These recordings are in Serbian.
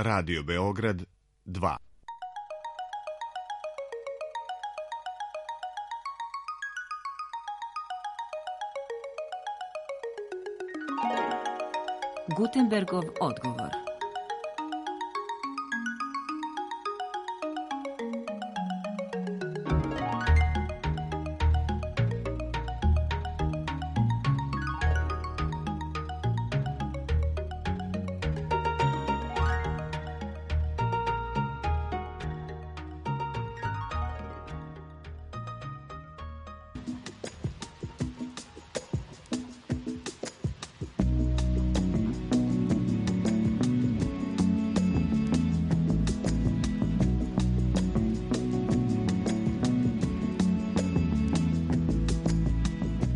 Radio Beograd 2. Gutenbergov odgovor.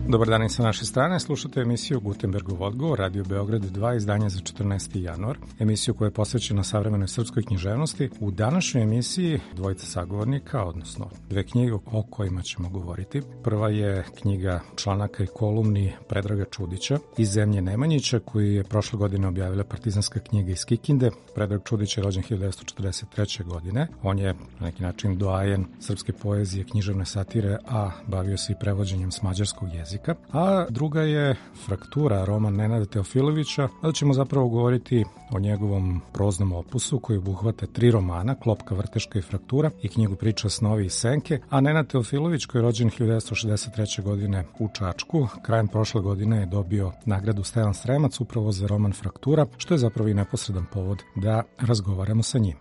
Dobar dan i sa naše strane, slušate emisiju Gutenbergov odgovor, Radio Beograd 2, izdanje za 14. januar, emisiju koja je posvećena savremenoj srpskoj književnosti. U današnjoj emisiji dvojica sagovornika, odnosno dve knjige o kojima ćemo govoriti. Prva je knjiga članaka i kolumni Predraga Čudića iz Zemlje Nemanjića, koju je prošle godine objavila Partizanska knjiga iz Kikinde. Predrag Čudić je rođen 1943. godine. On je na neki način doajen srpske poezije, književne satire, a bavio se i prevođenjem s mađarskog jezika. A druga je Fraktura, roman Nenada Teofilovića, ali ćemo zapravo govoriti o njegovom proznom opusu koji obuhvata 3 romana, Klopka, Vrteška i Fraktura, i knjigu Priča, snovi i senke. A Nenad Teofilović, koji je rođen 1963. godine u Čačku, krajem prošle godine je dobio nagradu Stevan Sremac upravo za roman Fraktura, što je zapravo i neposredan povod da razgovaramo sa njim.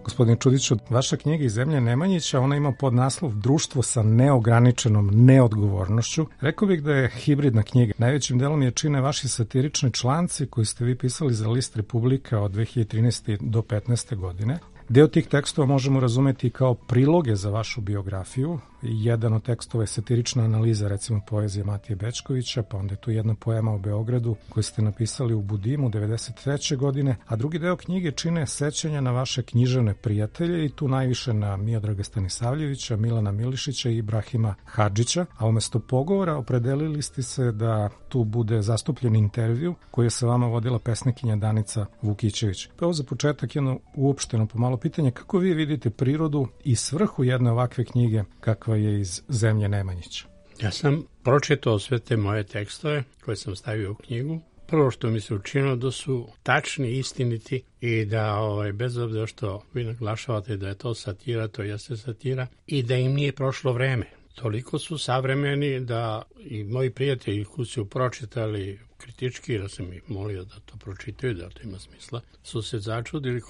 Gospodine Čudiću, vaša knjiga iz Zemlje Nemanjića, ona ima podnaslov Društvo sa neograničenom neodgovornošću. Rekao bih da je hibridna knjiga. Najvećim delom je čine vaši satirični članci koji ste vi pisali za list Republika od 2013. do 2015. godine. Deo tih tekstova možemo razumeti kao priloge za vašu biografiju. Jedan od tekstova je satirična analiza, recimo poezije Matije Bečkovića, pa onda je tu jedna poema o Beogradu koju ste napisali u Budimu 1993. godine, a drugi deo knjige čine sećanja na vaše književne prijatelje i tu najviše na Miodraga Stanisavljevića, Milana Milišića i Ibrahima Hadžića, a umesto pogovora opredelili ste se da tu bude zastupljen intervju koji je sa vama vodila pesnikinja Danica Vukićević. Pa ovo za početak jedno uopšteno pomalo pitanje, kako vi vidite prirodu i svrhu jedne ovakve knjige kakva je iz Zemlje Nemanjića? Ja sam pročitao sve te moje tekstove koje sam stavio u knjigu. Prvo što mi se učinilo da su tačni, istiniti i da bez obzira što vi naglašavate da je to satira, to jeste satira, i da im nije prošlo vreme. Toliko su savremeni da i moji prijatelji koji su pročitali kritički, jer sam ih molio da to pročitaju, da to ima smisla, su se začudili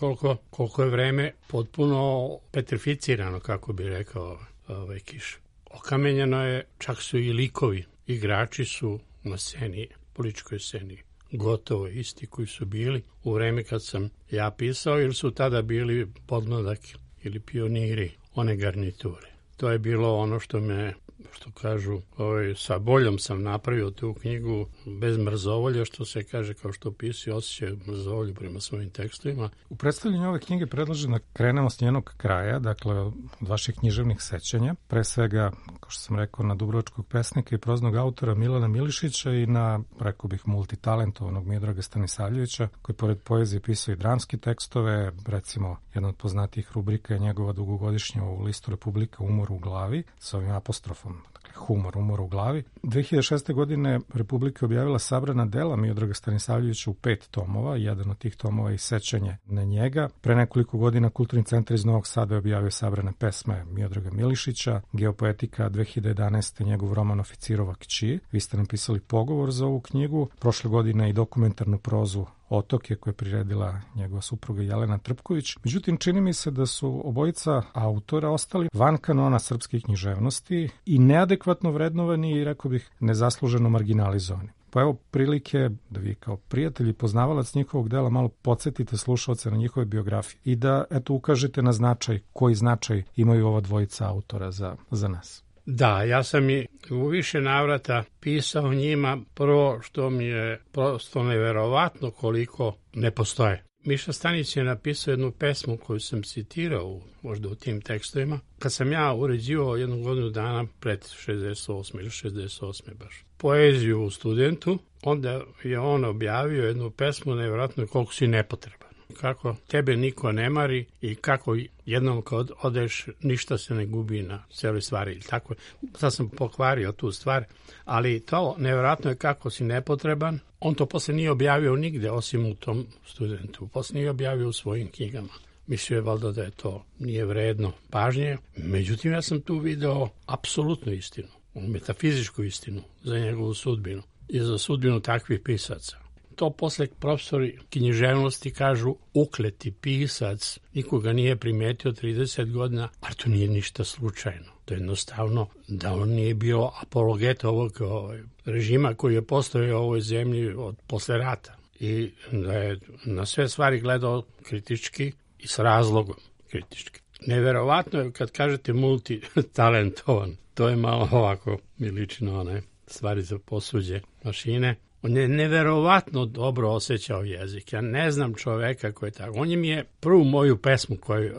koliko je vreme potpuno petrificirano, kako bi rekao Kiš. Okamenjeno je, čak su i likovi, igrači su na sceni, političkoj sceni, gotovo isti koji su bili u vreme kad sam ja pisao, ili su tada bili podmladak ili pioniri one garniture. To je bilo ono što me, što kažu, sa boljom sam napravio tu knjigu, bez mrzovolja, što se kaže, kao što pisi osjećaju mrzovolju prema svojim tekstovima. U predstavljanju ove knjige predlažem da krenemo s njenog kraja, dakle od vaših književnih sećanja, pre svega, kao što sam rekao, na dubrovačkog pesnika i proznog autora Milana Milišića i na, rekao bih, multitalentovanog Miodraga Stanisavljevića, koji pored poezije pisao i dramske tekstove. Recimo, jedna od poznatijih rubrika je njegova dugogodišnja u listu Republika Umor u glavi, sa ovim apostrofom, dakle umor u glavi. 2006. godine Republika objavila sabrana dela Miodraga Stanisavljevića u 5 tomova, jedan od tih tomova je sećanje na njega. Pre nekoliko godina Kulturni centar iz Novog Sada je objavio sabrane pesme Miodraga Milišića, Geopoetika 2011. njegov roman Oficirova kći. Vi ste napisali pogovor za ovu knjigu, prošle godine i dokumentarnu prozu Otoke koje je priredila njegova supruga Jelena Trpković. Međutim, čini mi se da su obojica autora ostali van kanona srpske književnosti i neadekvatno vrednovani i, rekao bih, nezasluženo marginalizovani. Pa evo prilike da vi kao prijatelj i poznavalac njihovog dela malo podsjetite slušalce na njihove biografije i da ukažete na značaj, koji značaj imaju ova dvojica autora za nas. Da, ja sam i u više navrata pisao njima, prvo što mi je prosto neverovatno koliko ne postoje. Miša Stanić je napisao jednu pesmu koju sam citirao možda u tim tekstovima. Kad sam ja uređivao jednu godinu dana pred 68. ili 68. baš poeziju u Studentu, onda je on objavio jednu pesmu, nevjerojatno koliko si nepotreban. Kako tebe niko ne mari i kako jednom kad odeš ništa se ne gubi na cijeloj stvari. Tako, sad sam pokvario tu stvar, ali to nevjerojatno je kako si nepotreban. On to posle nije objavio nigde osim u tom Studentu. Posle nije objavio u svojim knjigama. Mislio je valjda da je to nije vredno pažnje. Međutim, ja sam tu video apsolutnu istinu, metafizičku istinu za njegovu sudbinu i za sudbinu takvih pisaca. To posle profesori književnosti kažu ukleti pisac, nikoga nije primetio 30 godina, ali to nije ništa slučajno. To je jednostavno da on nije bio apologet ovog režima koji je postojao u ovoj zemlji od posle rata i da je na sve stvari gledao kritički i s razlogom kritički. Neverovatno je kad kažete multitalentovan, to je malo ovako mi liči na one stvari za posuđe mašine. On je neverovatno dobro osjećao jezik. Ja ne znam čoveka koji je tako. On mi je prvu moju pesmu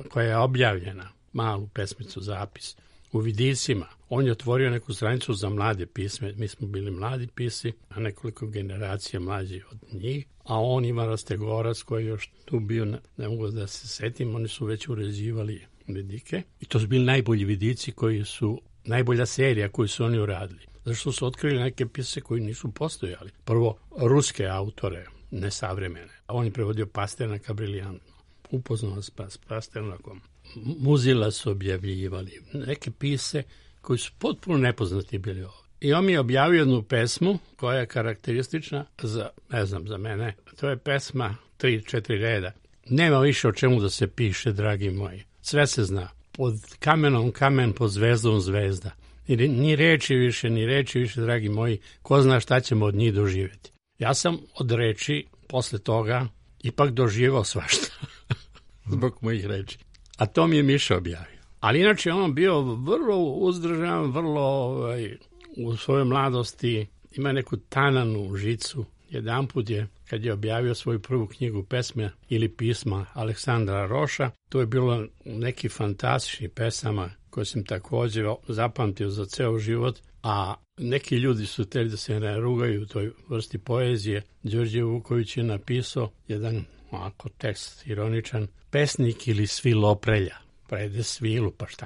koja je objavljena, malu pesmicu, zapis, u Vidicima. On je otvorio neku stranicu za mlade pisme. Mi smo bili mladi pisci, a nekoliko generacija mlađi od njih. A on ima Rastegorac koji je još tu bio, ne mogu da se setim, oni su već uređivali vidike. I to su bili najbolji vidici koji su, najbolja serija koju su oni uradili. Zašto su otkrili neke pise koji nisu postojali. Prvo, ruske autore, nesavremene. On je prevodio Pasternaka briljantno. Upoznao s Pasternakom. Muzila su objavljivali. Neke pise koji su potpuno nepoznati bili ovdje. I on mi je objavio jednu pesmu koja je karakteristična za, ne znam, za mene. To je pesma 3-4 reda. Nema više o čemu da se piše, dragi moji. Sve se zna. Pod kamenom kamen, pod zvezdom zvezda. Ni reči više, dragi moji, ko zna šta ćemo od njih doživjeti. Ja sam od reči posle toga ipak doživao svašta zbog mojih reči. A to mi je Miša objavio. Ali inače on bio vrlo uzdržan, vrlo u svojoj mladosti ima neku tananu žicu. Jedanput je, kad je objavio svoju prvu knjigu pesme ili pisma Aleksandra Roša, to je bilo neki fantastični pesama koje sam također zapamtio za ceo život, a neki ljudi su hteli da se ne rugaju u toj vrsti poezije. Đorđe Vuković je napisao jedan ovako tekst ironičan, pesnik ili sviloprelja, prede svilu, pa šta?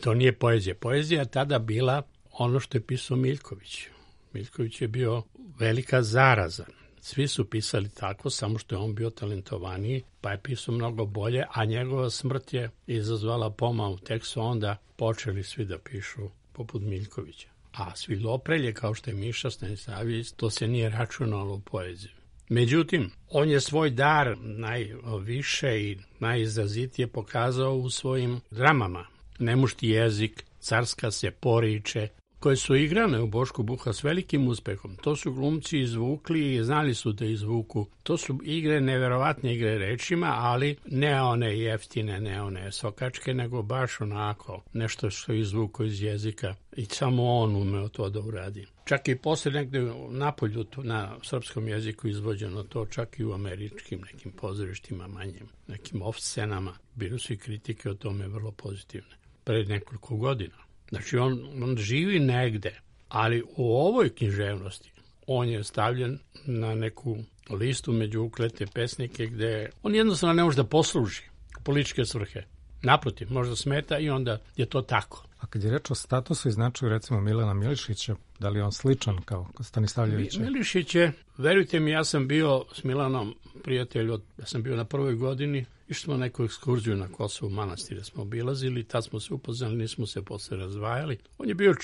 To nije poezija. Poezija je tada bila ono što je pisao Miljković. Miljković je bio velika zaraza. Svi su pisali tako, samo što je on bio talentovaniji, pa je pisao mnogo bolje, a njegova smrt je izazvala pomal. Tek su onda počeli svi da pišu poput Miljkovića. A sviloprelje, kao što je Miša Stanisavljević, to se nije računalo u poeziju. Međutim, on je svoj dar najviše i najizrazitije pokazao u svojim dramama. Nemušti jezik, Carska se poriče, koje su igrane u Bošku Buha s velikim uspehom. To su glumci izvukli i znali su da izvuku. To su igre, neverovatne igre rečima, ali ne one jeftine, ne one sokačke, nego baš onako nešto što je izvuko iz jezika i samo on umeo to da uradi. Čak i posle negde napolju na srpskom jeziku izvođeno to, čak i u američkim nekim pozorištima manjim, nekim off-scenama. Bili su i kritike o tome vrlo pozitivne. Pred nekoliko godina. Znači, on živi negde, ali u ovoj književnosti on je stavljen na neku listu među uklete pesnike gde on jednostavno ne može da posluži političke svrhe. Naprotiv, možda smeta i onda je to tako. A kad je reč o statusu i značaju recimo Milana Milišića, da li je on sličan kao Stanisavljevića? Milišić je, verujte mi, ja sam bio s Milanom prijatelj, ja sam bio na prvoj godini, išli smo neku ekskurziju na Kosovu manastire smo obilazili, tad smo se upoznali, nismo se posle razdvajali. On je bio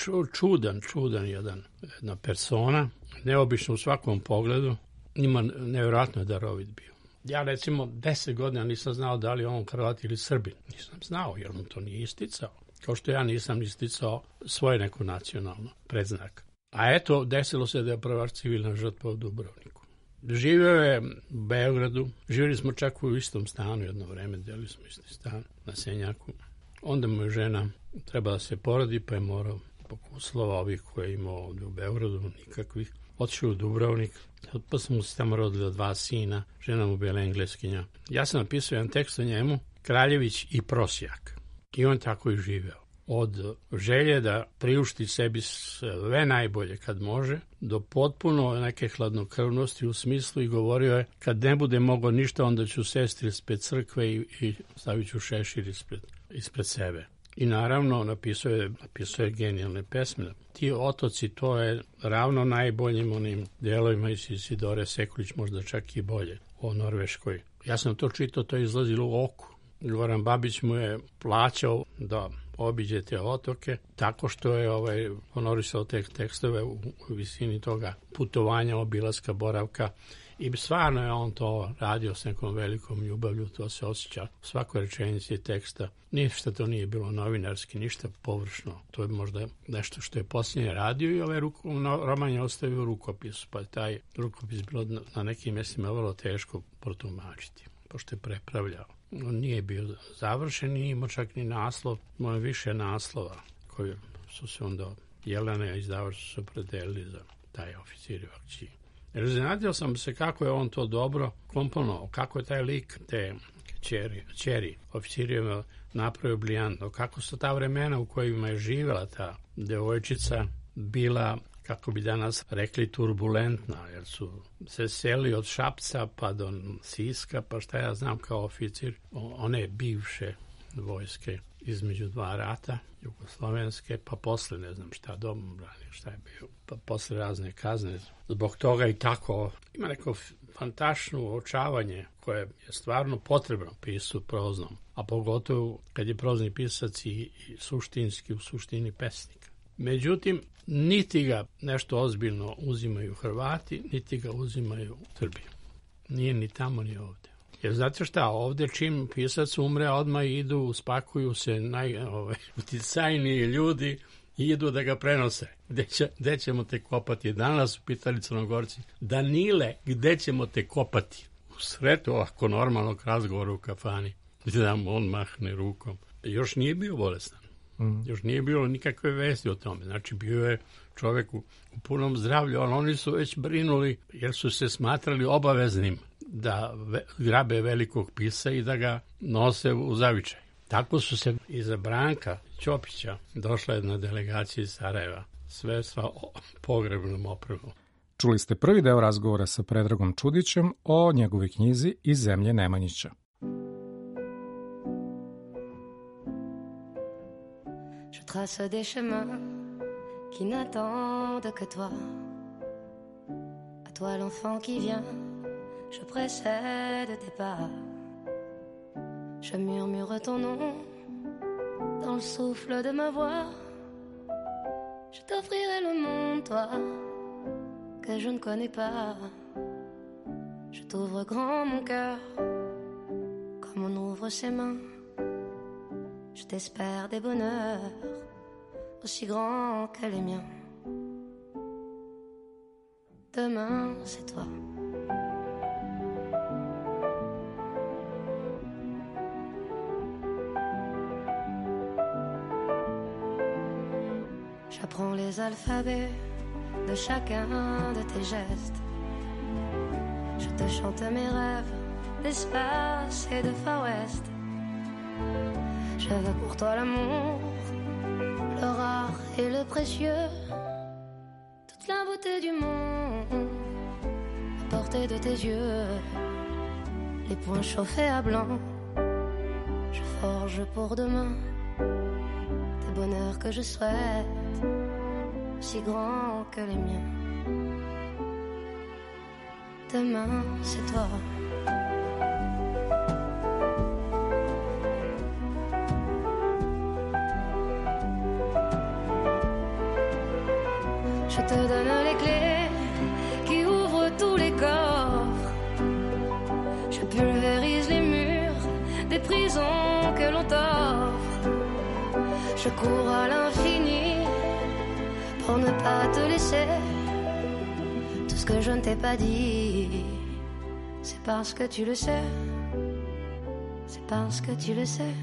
čudan jedna persona, neobično u svakom pogledu, ima nevjerojatno darovit bio. Ja recimo 10 godina nisam znao da li je on Hrvat ili Srbin. Nisam znao jer on to nije isticao. Kao što ja nisam isticao svoje neko nacionalno predznak. A eto, desilo se da je prva civilna žrtva u Dubrovniku. Živio je u Beogradu, živjeli smo čak u istom stanu jedno vreme, delili smo isti stan na Senjaku. Onda mu je žena trebala da se porodi, pa je morao zbog uslova ovih koje je imao ovdje u Beogradu, nikakvih, otišao u Dubrovnik, posle mu se tamo rodila 2 sina, žena mu bila Engleskinja. Ja sam napisao jedan tekst o njemu, Kraljević i prosjak. I on tako i živeo. Od želje da priušti sebi sve najbolje kad može, do potpuno neke hladnokrvnosti u smislu i govorio je, kad ne bude mogao ništa, onda ću sesti ispred crkve i stavit ću šešir ispred sebe. I naravno napisao je genijalne pesme. Ti otoci, to je ravno najboljim onim delovima iz Isidore Sekulić, možda čak i bolje, o Norveškoj. Ja sam to čitao, to je izlazilo u Oku. Goran Babić mu je plaćao da obiđe te otoke, tako što je honorisao te tekstove u visini toga putovanja, obilaska, boravka. I stvarno je on to radio s nekom velikom ljubavlju, to se osjeća u svakoj rečenici teksta. Ništa to nije bilo novinarski, ništa površno. To je možda nešto što je posljednje radio i roman je ostavio u rukopisu, pa je taj rukopis bilo na nekim mjestima vrlo teško protumačiti, pošto je prepravljao. On nije bio završen, nije imao čak ni naslov, imao je više naslova koji su se onda Jelena i izdavač su se opredelili za taj Oficiri u akciji. Jer iznenadio sam se kako je on to dobro komponovao, kako je taj lik te ćeri Oficirijeva napravio briljantno, kako su ta vremena u kojima je živjela ta devojčica bila, kako bi danas rekli, turbulentna, jer su se seli od Šapca pa do Siska, pa šta ja znam kao oficir, one bivše vojske između 2 rata, jugoslovenske, pa posle ne znam šta, domobrani, šta je bio, pa posle razne kazne. Zbog toga i tako ima neko fantastično uočavanje koje je stvarno potrebno pisu proznom, a pogotovo kad je prozni pisac i suštinski u suštini pesnika. Međutim, niti ga nešto ozbiljno uzimaju Hrvati, niti ga uzimaju Srbi. Nije ni tamo ni ovde. Jer znate šta, ovde čim pisac umre, odmah idu, spakuju se uticajniji ljudi i idu da ga prenose. Gde ćemo te kopati? Danas su pitali Crnogorci, Danile, gde ćemo te kopati? U sretu ovako normalnog razgovora u kafani, da mu on mahne rukom. Još nije bio bolestan. Još nije bilo nikakve vesti o tome. Znači, bio je čovjek u punom zdravlju, ali oni su već brinuli jer su se smatrali obaveznim da grabe velikog pisa i da ga nose u zavičaj. Tako su se iza Branka Ćopića došla jedna delegacija iz Sarajeva, sve sa pogrebnom opremom. Čuli ste prvi deo razgovora sa Predragom Čudićem o njegovoj knjizi Iz zemlje Nemanjića. Je trace des chemins qui n'attendent que toi. À toi l'enfant qui vient, je précède tes pas. Je murmure ton nom dans le souffle de ma voix. Je t'offrirai le monde, toi, que je ne connais pas. Je t'ouvre grand mon cœur, comme on ouvre ses mains. Je t'espère des bonheurs aussi grands que les miens. Demain, c'est toi. J'apprends les alphabets de chacun de tes gestes. Je te chante mes rêves d'espace et de Far West. Je veux pour toi l'amour, le rare et le précieux, toute la beauté du monde à portée de tes yeux. Les poings chauffés à blanc, je forge pour demain des bonheurs que je souhaite, si grands que les miens. Demain, c'est toi. Je te donne les clés qui ouvrent tous les coffres. Je pulvérise les murs des prisons que l'on t'offre. Je cours à l'infini pour ne pas te laisser. Tout ce que je ne t'ai pas dit, c'est parce que tu le sais. C'est parce que tu le sais.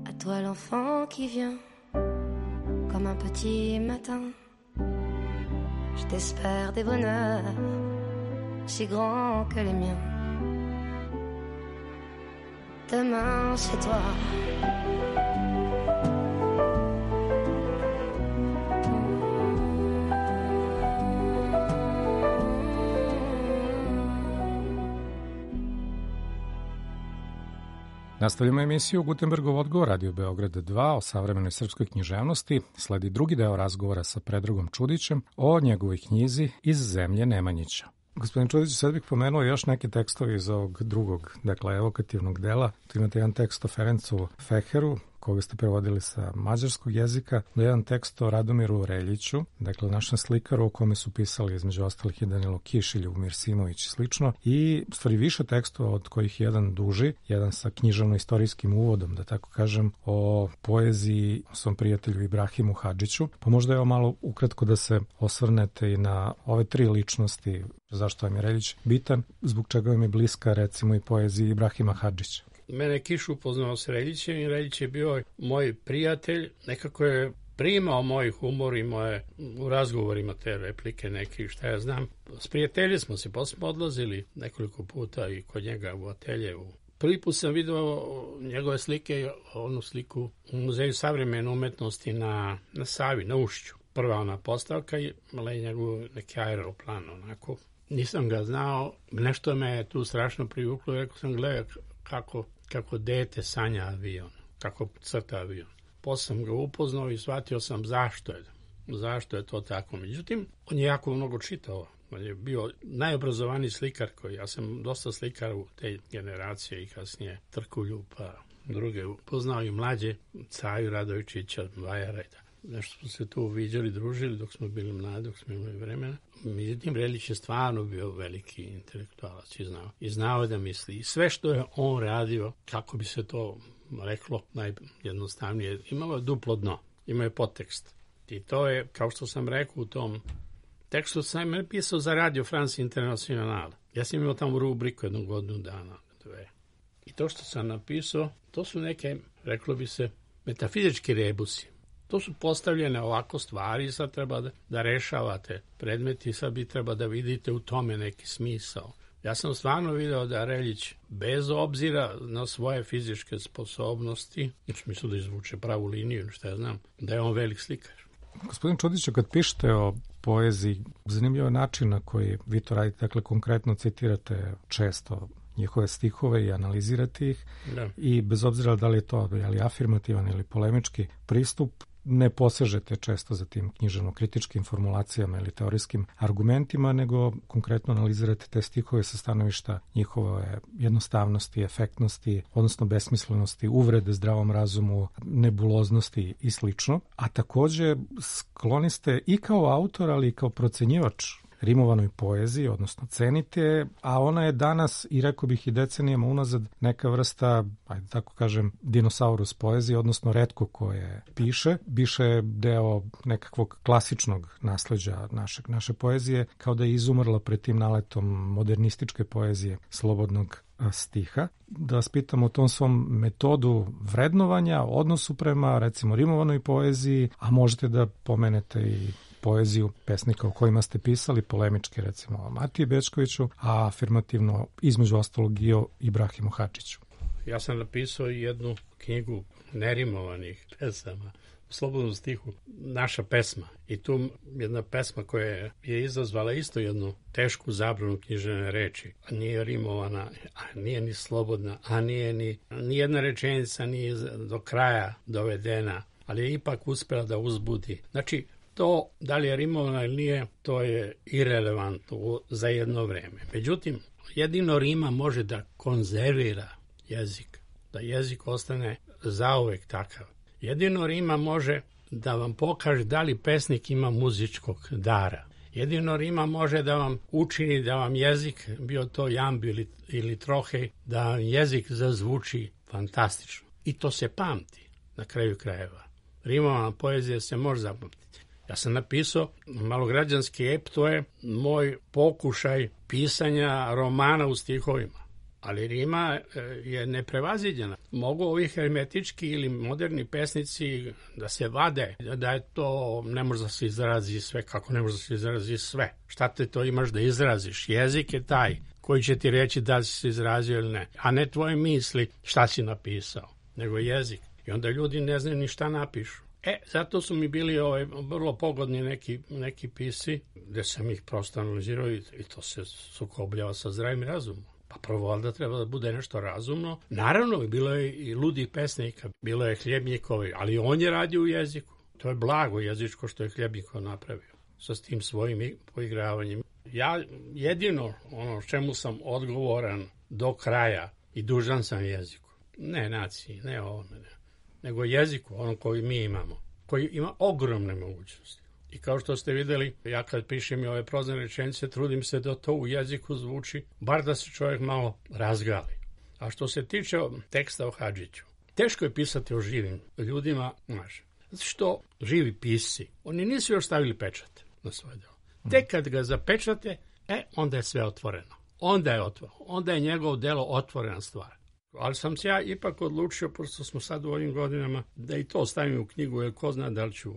À toi l'enfant qui vient comme un petit matin. Je t'espère des bonheurs si grands que les miens. Demain c'est toi. Nastavljamo emisiju Gutenbergov odgovor, Radio Beograd 2 o savremenoj srpskoj književnosti. Sledi drugi deo razgovora sa Predragom Čudićem o njegovoj knjizi Iz zemlje Nemanjića. Gospodin Čudić, sad bih pomenuo još neke tekstove iz ovog drugog, dakle, evokativnog dela. Tu imate jedan tekst o Ferencu Feheru, koga ste prevodili sa mađarskog jezika, do jedan tekst o Radomiru Reljiću, dakle našem slikaru o kome su pisali između ostalih i Danilo Kiš, Ljubomir Simović i slično, i stvari više tekstova od kojih jedan duži, jedan sa književno-istorijskim uvodom, da tako kažem, o poeziji svom prijatelju Ibrahimu Hadžiću. Pa možda je ovo malo ukratko da se osvrnete i na ove tri ličnosti, zašto vam je Reljić bitan, zbog čega vam je bliska recimo i poeziji Ibrahima Hadžića. Mene Kiš upoznao s Reljićem i Reljić je bio moj prijatelj, nekako je primao moj humor i moje u razgovorima te replike neki, šta ja znam. Sprijatelji smo se, posle odlazili nekoliko puta i kod njega u ateljevu. Prvi put sam vidio njegove slike, onu sliku u Muzeju savremene umetnosti na Savi, na Ušću. Prva ona postavka i njegov neki aeroplan, onako. Nisam ga znao, nešto me je tu strašno privuklo, rekao sam, gledaj kako dete sanja avion, kako crta avion. Posle sam ga upoznao i shvatio sam zašto je to tako. Međutim, on je jako mnogo čitao. On je bio najobrazovaniji slikar ja sam dosta slikara u te generacije i kasnije Trkulju, pa druge upoznao i mlađe, Caju Radovičića, Vajara i tako. Nešto smo se tu viđali, družili dok smo bili mladi, dok smo imali vremena. Međutim, Reljić je stvarno bio veliki intelektualac i znao je da misli. I sve što je on radio, kako bi se to reklo najjednostavnije, imalo je duplo dno, imao je podtekst. I to je, kao što sam rekao u tom tekstu, sam napisao za Radio France International. Ja sam imao tamo rubriku jednu godinu dana, 2. I to što sam napisao, to su neke, reklo bi se, metafizički rebusi. To su postavljene ovako stvari, sad treba da rešavate predmeti, sad bi treba da vidite u tome neki smisao. Ja sam stvarno video da Reljić, bez obzira na svoje fizičke sposobnosti, u smislu da izvuče pravu liniju, šta ja znam, da je on velik slikar. Gospodin Čudiću, kad pišete o poeziji, zanimljiv je način na koji vi to radite, dakle konkretno citirate često njihove stihove i analizirate ih, da. I bez obzira da li je to afirmativan ili polemički pristup, ne posežete često za tim književno-kritičkim formulacijama ili teorijskim argumentima, nego konkretno analizirate te stihove sa stanovišta njihove jednostavnosti, efektnosti, odnosno besmislenosti, uvrede zdravom razumu, nebuloznosti i slično. A takođe skloni ste i kao autor, ali i kao procenjivač rimovanoj poeziji, odnosno cenite, a ona je danas, i rekao bih i decenijama unazad, neka vrsta, ajde tako kažem, dinosaurus poezije, odnosno retko koje piše, biše deo nekakvog klasičnog nasleđa naše poezije, kao da je izumrla pred tim naletom modernističke poezije slobodnog stiha. Da vas pitam o tom svom metodu vrednovanja, odnosu prema, recimo, rimovanoj poeziji, a možete da pomenete i poeziju pesnika o kojima ste pisali, polemički recimo o Matiji Bečkoviću, a afirmativno između ostalog i o Ibrahimu Hadžiću. Ja sam napisao jednu knjigu nerimovanih pesama, u slobodnom stihu, naša pesma. I tu jedna pesma koja je izazvala isto jednu tešku zabranu književne reči. Nije rimovana, a nije ni slobodna, a ni jedna rečenica nije do kraja dovedena, ali je ipak uspela da uzbudi. Znači, to, da li je rimovano ili nije, to je irelevantno za jedno vreme. Međutim, jedino rima može da konzervira jezik, da jezik ostane zauvek takav. Jedino rima može da vam pokaže da li pesnik ima muzičkog dara. Jedino rima može da vam učini da vam jezik, bio to jambi ili trohej, da vam jezik zazvuči fantastično. I to se pamti na kraju krajeva. Rimovana poezija se može zapamtiti. Ja sam napisao malograđanski ep, to je moj pokušaj pisanja romana u stihovima. ali rima je neprevaziđena. Mogu ovi hermetički ili moderni pesnici da se vade, da je to, ne može da se izrazi sve, kako ne može da se izrazi sve. Šta te to imaš da izraziš? Jezik je taj koji će ti reći da si se izrazio ili ne, a ne tvoje misli šta si napisao, nego jezik. I onda ljudi ne znaju ni šta napišu. Zato su mi bili vrlo pogodni neki pisci, gde sam ih prosto analizirao i to se sukobljava sa zdravim razumom. Pa prvo valjda treba da bude nešto razumno. Naravno, bilo je i ludih pesnika, bilo je Hljebnjikovi, ali on je radio u jeziku. To je blago jezičko što je Hljebnjikov napravio sa tim svojim poigravanjem. Ja jedino ono čemu sam odgovoran do kraja i dužan sam jeziku. Ne naciji, ne ovome, nego jeziku, ono koji mi imamo, koji ima ogromne mogućnosti. I kao što ste videli, ja kad pišem i ove prozne rečenice, trudim se da to u jeziku zvuči, bar da se čovjek malo razgali. A što se tiče teksta o Hadžiću, teško je pisati o živim ljudima, znaš, zato što živi pisci, oni nisu još stavili pečat na svoje delo. Tek kad ga zapečate, onda je sve otvoreno. Onda je njegovo delo otvorena stvar. Ali sam se ja ipak odlučio, pošto smo sad u ovim godinama, da i to stavim u knjigu, jer ko zna da li ću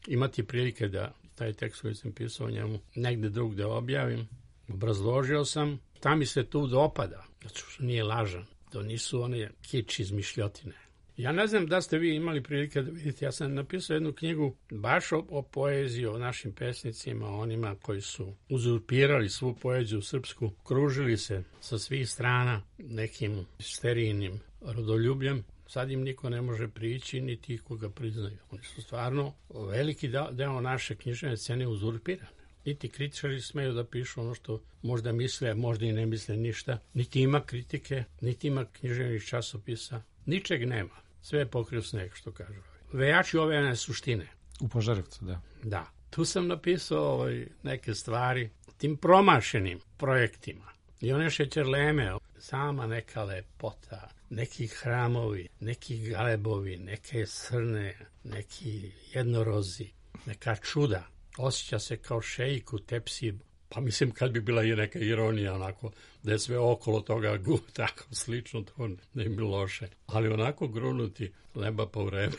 imati prilike da taj tekst koji sam pisao o njemu negde drugde objavim. Obrazložio sam, šta mi se tu dopada, zato što nije lažan, to nisu one kič izmišljotine. Ja ne znam da ste vi imali prilike da vidite, ja sam napisao jednu knjigu baš o poeziji, o našim pesnicima, onima koji su uzurpirali svu poeziju srpsku, kružili se sa svih strana nekim sterijnim rodoljubljem. Sad im niko ne može prići, niti koga priznaju. Oni su stvarno veliki deo naše književne scene uzurpirane. Niti kritičari smeju da pišu ono što možda misle, možda i ne misle ništa. Niti ima kritike, niti ima književnih časopisa. Ničeg nema. Sve je pokrio sneg, što kažu. Vejači ove suštine. U Požarevcu, da. Da. Tu sam napisao neke stvari tim promašenim projektima. I one šećerleme, sama neka lepota, neki hramovi, neki galebovi, neke srne, neki jednorozi, neka čuda. Osjeća se kao šejk u tepsiji. Pa mislim kad bi bila i neka ironija onako, da je sve okolo toga tako slično, to ne bi bilo loše. Ali onako grunuti leba po vreme.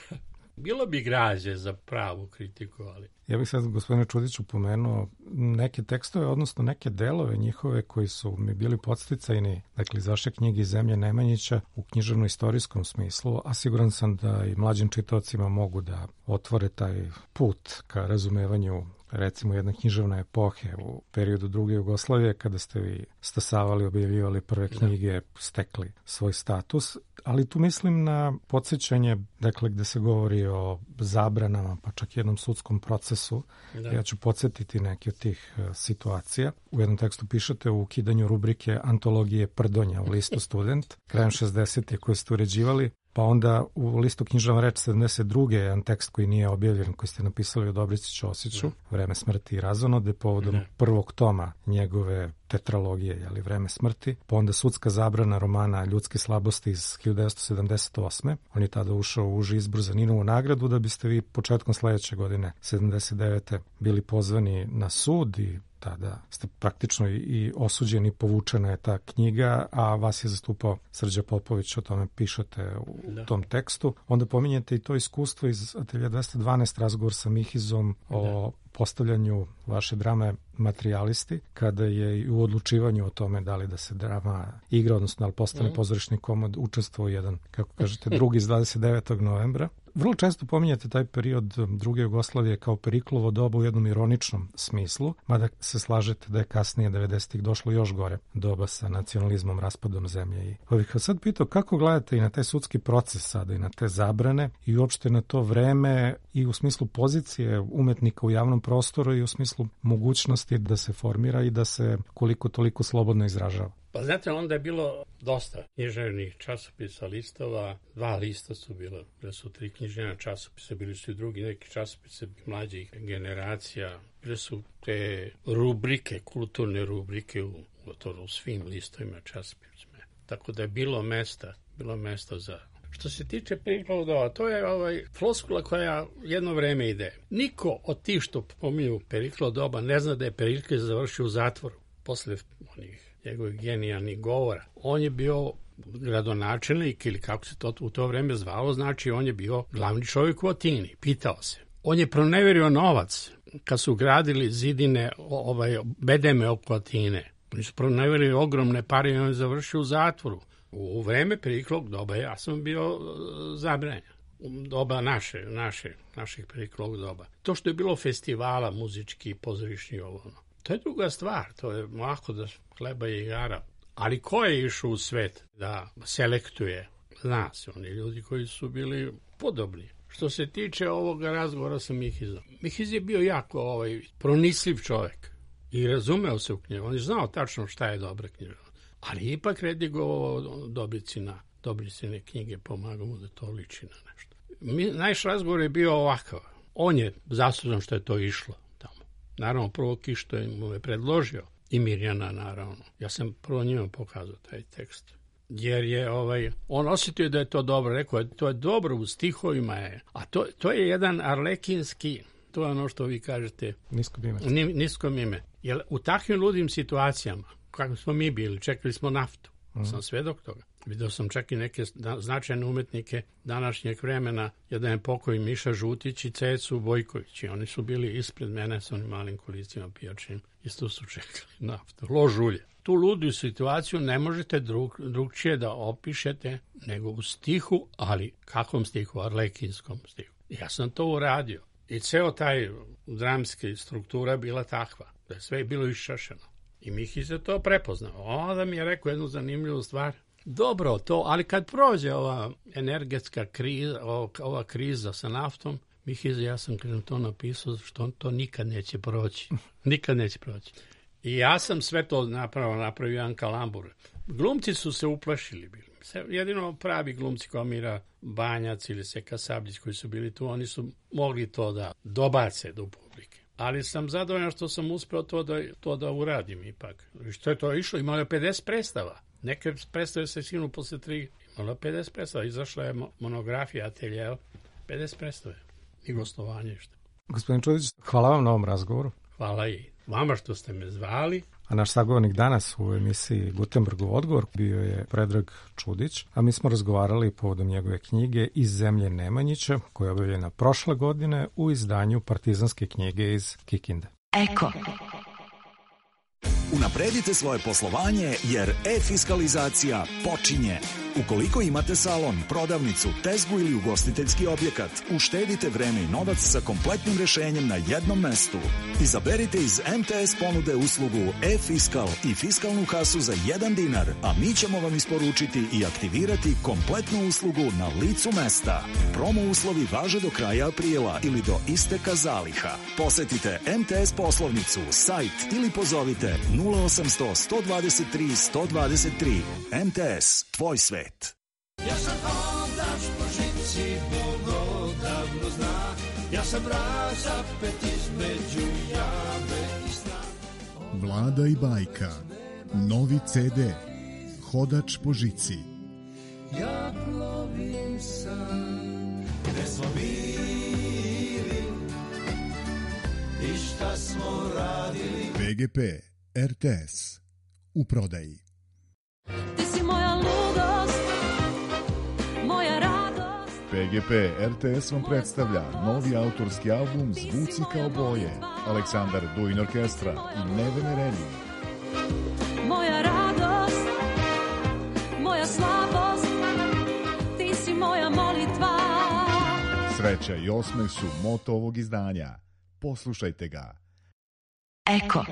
Bilo bi građe za pravu kritiku, ali... Ja bih sad, gospodine Čudiću, pomenuo neke tekstove, odnosno neke delove njihove koji su mi bili podsticajni, dakle, iz vaše knjige Zemlje Nemanjića u književno-istorijskom smislu, a siguran sam da i mlađim čitaocima mogu da otvore taj put ka razumevanju recimo jedne književne epohe u periodu druge Jugoslavije, kada ste vi stasavali, objavljivali prve knjige, stekli svoj status, ali tu mislim na podsjećanje, dakle, gde se govori o zabranama, pa čak jednom sudskom procesu. Da. Ja ću podsjetiti neke od tih situacija. U jednom tekstu pišete o ukidanju rubrike Antologije Prdonja u listu Student, krajem 60. koje ste uređivali. Pa onda u listu Književna reč 72. jedan tekst koji nije objavljen, koji ste napisali o Dobrici Ćosiću, Vreme smrti i razonode, povodom prvog toma njegove tetralogije, Vreme smrti. Pa onda sudska zabrana romana Ljudske slabosti iz 1978. On je tada ušao u uži izbor za Ninovu nagradu, da biste vi početkom sledeće godine, 79. bili pozvani na sud i tada ste praktično i osuđeni, povučena je ta knjiga, a vas je zastupao Srđa Popović, o tome pišete u tom tekstu. Onda pominjete i to iskustvo iz Atelja 212, razgovor sa Mihizom o postavljanju vaše drame Materijalisti, kada je i u odlučivanju o tome da li da se drama igra, odnosno da li postane pozorišni komad, učestvovao jedan, kako kažete, drugi iz 29. novembra. Vrlo često pominjate taj period druge Jugoslavije kao Periklovo doba u jednom ironičnom smislu, mada se slažete da je kasnije 90-ih došlo još gore doba sa nacionalizmom, raspadom zemlje. I bih vas sad pitao kako gledate i na taj sudski proces sada i na te zabrane i uopšte na to vreme i u smislu pozicije umetnika u javnom prostoru i u smislu mogućnosti da se formira i da se koliko toliko slobodno izražava. Pa znate, onda je bilo dosta književnih časopisa, listova. 2 lista su bila, bile su 3 književna časopisa, bili su i drugi neki časopise mlađih generacija. Bile su te rubrike, kulturne rubrike u svim listovima časopisima. Tako da je bilo mesta za... Što se tiče Periklova doba, to je floskula koja jedno vreme ide. Niko od tih što pominju Periklova doba ne zna da je Perikle završio u zatvoru posle onih njegovih genijalnih govora. On je bio gradonačelnik, ili kako se to u to vreme zvalo, znači on je bio glavni čovjek u Atini. Pitao se. On je proneverio novac kad su gradili zidine, bedeme oko Atine. Oni su proneverili ogromne pare i on je završio u zatvoru. U vreme Periklog doba ja sam bio zabranjen. Doba naših Periklog doba. To što je bilo festivala muzički, pozorišni, to je druga stvar. To je lako da hleba i igara. Ali ko je išao u svet da selektuje? Zna se, oni ljudi koji su bili podobni. Što se tiče ovoga razgovora sa Mihizom. Mihiz je bio jako pronicljiv čovjek i razumeo se u knjigu. On je znao tačno šta je dobra knjiga. Ali ipak redigovao dobicine knjige, pomagao mu da to liči na nešto. Naš razgovor je bio ovakav. On je zaslužan što je to išlo tamo. Naravno, prvo Kišto mu je predložio i Mirjana, naravno. Ja sam prvo njima pokazao taj tekst. Jer je on osjetio da je to dobro. Rekao je, to je dobro, u stihovima je. A to je jedan arlekinski, to je ono što vi kažete, nisko mime. Jer u takvim ludim situacijama, kako smo mi bili, čekali smo naftu. Sam svedok toga. Vidio sam čak i neke značajne umetnike današnjeg vremena, jedan je pokoj Miša Žutić i Cecu Bojković. I oni su bili ispred mene sa onim malim kolicima pijačnim. Isto su čekali naftu. Lož ulje. Tu ludu situaciju ne možete drugčije da opišete nego u stihu, ali kakvom stihu? Arlekinskom stihu. Ja sam to uradio. I ceo taj dramski struktura bila takva. Da je sve bilo iščašeno. I Mihiz je to prepoznao. Onda mi je rekao jednu zanimljivu stvar. Dobro to, ali kad prođe ova energetska kriza, ova kriza sa naftom, Mihiz, ja sam to napisao što to nikad neće proći. Nikad neće proći. I ja sam sve to napravio jedan kalambur. Glumci su se uplašili bili. Jedino pravi glumci kao Mira Banjac ili Seka Sabljić koji su bili tu, oni su mogli to da dobace do publike. Ali sam zadovoljan što sam uspeo to da uradim ipak. Što je to išlo? Imalo je 50 predstava. Neke predstave se sinu posle 3. Imalo je 50 predstava. Izašla je monografija Ateljeo. 50 predstave. I gostovanje. Gospodin Čudić, hvala vam na ovom razgovoru. Hvala i vama što ste me zvali. A naš sagovornik danas u emisiji Gutenbergov odgovor bio je Predrag Čudić, a mi smo razgovarali povodom njegove knjige Iz zemlje Nemanjića, koja je objavljena prošle godine u izdanju Partizanske knjige iz Kikinde. Eko. Unapredite svoje poslovanje jer e-fiskalizacija počinje. Ukoliko imate salon, prodavnicu, tezgu ili ugostiteljski objekat, uštedite vreme i novac sa kompletnim rešenjem na jednom mestu. Izaberite iz MTS ponude uslugu e-fiskal i fiskalnu kasu za 1 dinar, a mi ćemo vam isporučiti i aktivirati kompletnu uslugu na licu mesta. Promo uslovi važe do kraja aprila ili do isteka zaliha. Posetite MTS poslovnicu, sajt ili pozovite 0800 123 123. MTS, tvoj svet. Ja sam hodač po žici, Bog odavno zna. Ja sam razapet između jame i sna. Vlada i bajka. Novi CD. Hodač po žici. Ja plovim sam, gde smo bili i šta smo radili. PGP RTS. U prodaji. Ti si moja ludost, moja radost. PGP RTS vam predstavlja novi autorski album Zvuci kao boje. Aleksandar Duin Orkestra i Nevene Reni. Moja radost, moja slabost, ti si moja molitva. Sreća i osmeh su moto ovog izdanja. Poslušajte ga. Eko.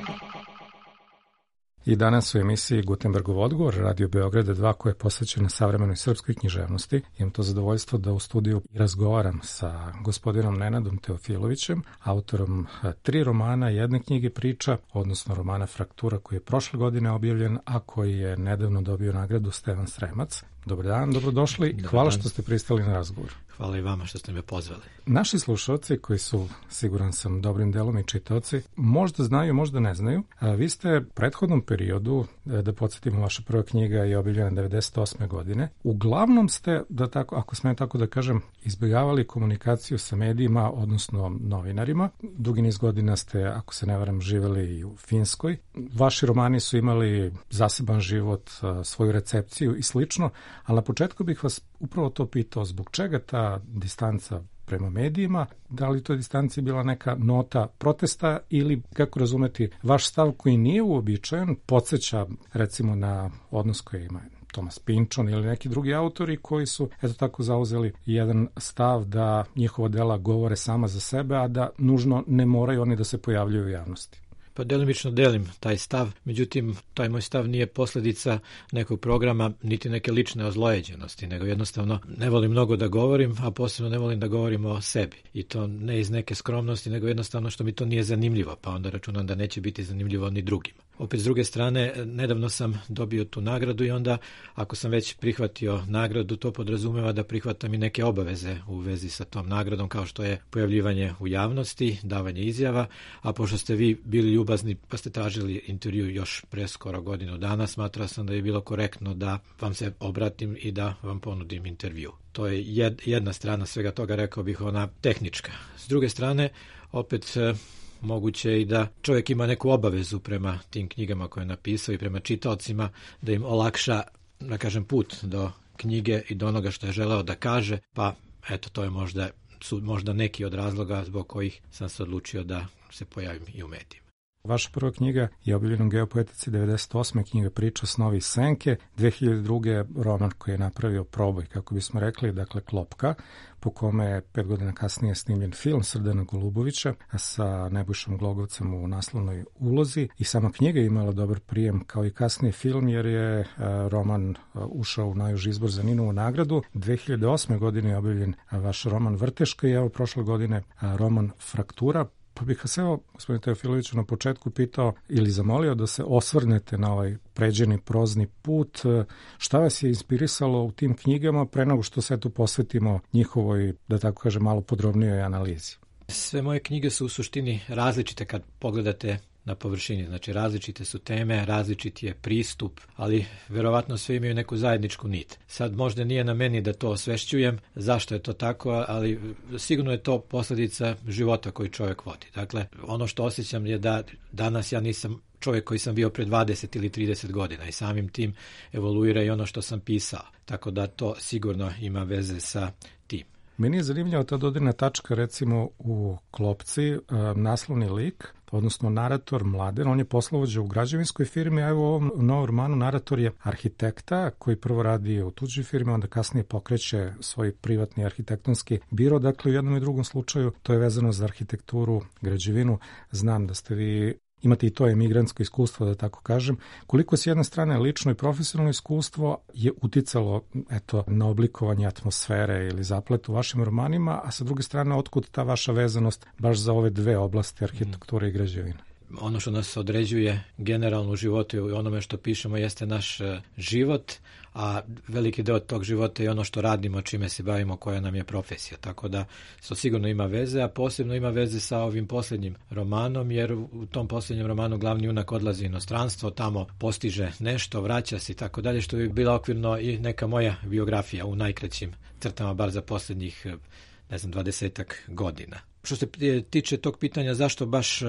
I danas u emisiji Gutenbergov odgovor, Radio Beograda 2, koja je posvećena savremenoj srpskoj književnosti. Imam to zadovoljstvo da u studiju razgovaram sa gospodinom Nenadom Teofilovićem, autorom 3 romana, 1 knjige priča, odnosno romana Fraktura, koji je prošle godine objavljen, a koji je nedavno dobio nagradu Stevan Sremac. Dobar dan, dobrodošli i hvala što ste pristali na razgovor. Hvala i vama što ste me pozvali. Naši slušalci, koji su, siguran sam, dobrim delom i čitaoci, možda znaju, možda ne znaju, vi ste u prethodnom periodu periodu, da podsjetimo, vaša prva knjiga je objavljena 98. godine. Uglavnom ste, da tako, ako smijem tako da kažem, izbjegavali komunikaciju sa medijima, odnosno novinarima. Dugi niz godina ste, ako se ne varam, živeli i u Finskoj. Vaši romani su imali zaseban život, svoju recepciju i slično, ali na početku bih vas upravo to pitao, zbog čega ta distanca prema medijima, da li to distanci bila neka nota protesta ili, kako razumeti, vaš stav koji nije uobičajen, podsjeća recimo na odnos koji ima Tomas Pynchon ili neki drugi autori koji su, eto tako, zauzeli jedan stav da njihova dela govore sama za sebe, a da nužno ne moraju oni da se pojavljuju u javnosti. Pa delimično delim taj stav, međutim, taj moj stav nije posljedica nekog programa, niti neke lične ozlojeđenosti, nego jednostavno ne volim mnogo da govorim, a posebno ne volim da govorim o sebi. I to ne iz neke skromnosti, nego jednostavno što mi to nije zanimljivo, pa onda računam da neće biti zanimljivo ni drugima. Opet, s druge strane, nedavno sam dobio tu nagradu i onda, ako sam već prihvatio nagradu, to podrazumeva da prihvatam i neke obaveze u vezi sa tom nagradom, kao što je pojavljivanje u javnosti, davanje izjava, a pošto ste vi bili ljubazni pa ste tražili intervju još pre skoro godinu dana, smatrao sam da je bilo korektno da vam se obratim i da vam ponudim intervju. To je jedna strana svega toga, rekao bih, ona tehnička. S druge strane, opet moguće je i da čovjek ima neku obavezu prema tim knjigama koje je napisao i prema čitaocima, da im olakša, da kažem, put do knjige i do onoga što je želeo da kaže, pa eto, to je možda neki od razloga zbog kojih sam se odlučio da se pojavim i u medijima. Vaša prva knjiga je objavljena u Geopoetici 98. knjiga Priča snovi senke, 2002. roman koji je napravio proboj, kako bismo rekli, dakle Klopka, po kome je 5 godina kasnije snimljen film Srdana Golubovića sa Nebojšom Glogovcem u naslovnoj ulozi i sama knjiga je imala dobar prijem kao i kasniji film, jer je roman ušao u najuži izbor za Ninovu nagradu. 2008. godine je objavljen vaš roman Vrteška i evo prošle godine roman Fraktura. Pa bih vas evo, gospodine Teofiloviću, na početku pitao ili zamolio da se osvrnete na ovaj pređeni prozni put. Šta vas je inspirisalo u tim knjigama pre nego što se tu posvetimo njihovoj, da tako kažem, malo podrobnijoj analizi? Sve moje knjige su u suštini različite kad pogledate na površini. Znači, različite su teme, različit je pristup, ali verovatno sve imaju neku zajedničku nit. Sad možda nije na meni da to osvešćujem, zašto je to tako, ali sigurno je to posljedica života koji čovjek vodi. Dakle, ono što osjećam je da danas ja nisam čovjek koji sam bio pre 20 ili 30 godina i samim tim evoluira i ono što sam pisao. Tako da to sigurno ima veze sa tim. Meni je zanimljiva ta dodirna tačka, recimo u Klopci, naslovni lik, odnosno narator Mladen, on je poslovođa u građevinskoj firmi, a evo u ovom novom romanu narator je arhitekta koji prvo radi u tuđoj firmi, onda kasnije pokreće svoj privatni arhitektonski biro. Dakle, u jednom i drugom slučaju to je vezano za arhitekturu, građevinu. Znam da ste vi, imate i to emigrantsko iskustvo, da tako kažem. Koliko s jedne strane lično i profesionalno iskustvo je uticalo na oblikovanje atmosfere ili zaplet u vašim romanima, a sa druge strane otkud ta vaša vezanost baš za ove dve oblasti, arhitekture i građevine? Ono što nas određuje generalno u životu i onome što pišemo jeste naš život, a veliki deo tog života je ono što radimo, čime se bavimo, koja nam je profesija. Tako da to sigurno ima veze, a posebno ima veze sa ovim posljednjim romanom, jer u tom posljednjem romanu glavni junak odlazi u inostranstvo, tamo postiže nešto, vraća se i tako dalje, što bi bila okvirno i neka moja biografija u najkraćim crtama, bar za posljednjih, 20-ak godina. Što se tiče tog pitanja zašto baš